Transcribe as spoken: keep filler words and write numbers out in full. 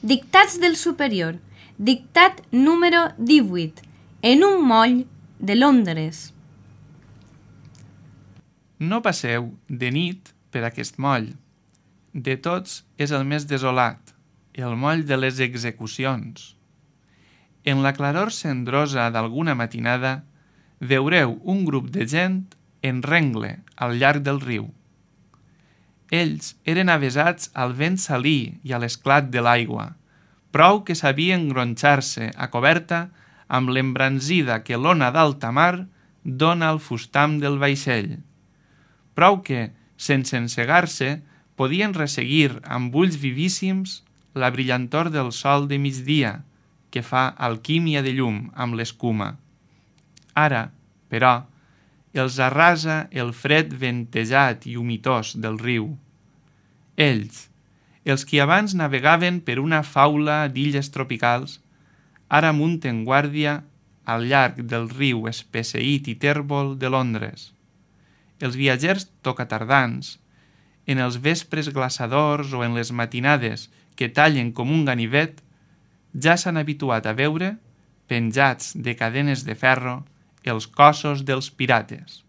Dictats del superior. Dictat número divuit. En un moll de Londres. No passeu de nit per aquest moll. De tots és el més desolat, el moll de les execucions. En la claror cendrosa d'alguna matinada veureu un grup de gent en rengle al llarg del riu. Ells eren avesats al vent salí i a l'esclat de l'aigua, prou que sabien gronxar-se a coberta amb l'embranzida que l'ona d'alta mar dona al fustam del vaixell. Prou que, sense encegar-se, podien resseguir amb ulls vivíssims la brillantor del sol de migdia, que fa alquímia de llum amb l'escuma. Ara, però, els arrasa el fred ventejat i humitós del riu. Ells, els qui abans navegaven per una faula d'illes tropicals, ara munten guàrdia al llarg del riu espesseït i tèrbol de Londres. Els viatgers tocatardans, en els vespres glaçadors o en les matinades que tallen com un ganivet, ja s'han habituat a veure, penjats de cadenes de ferro, els cossos dels pirates.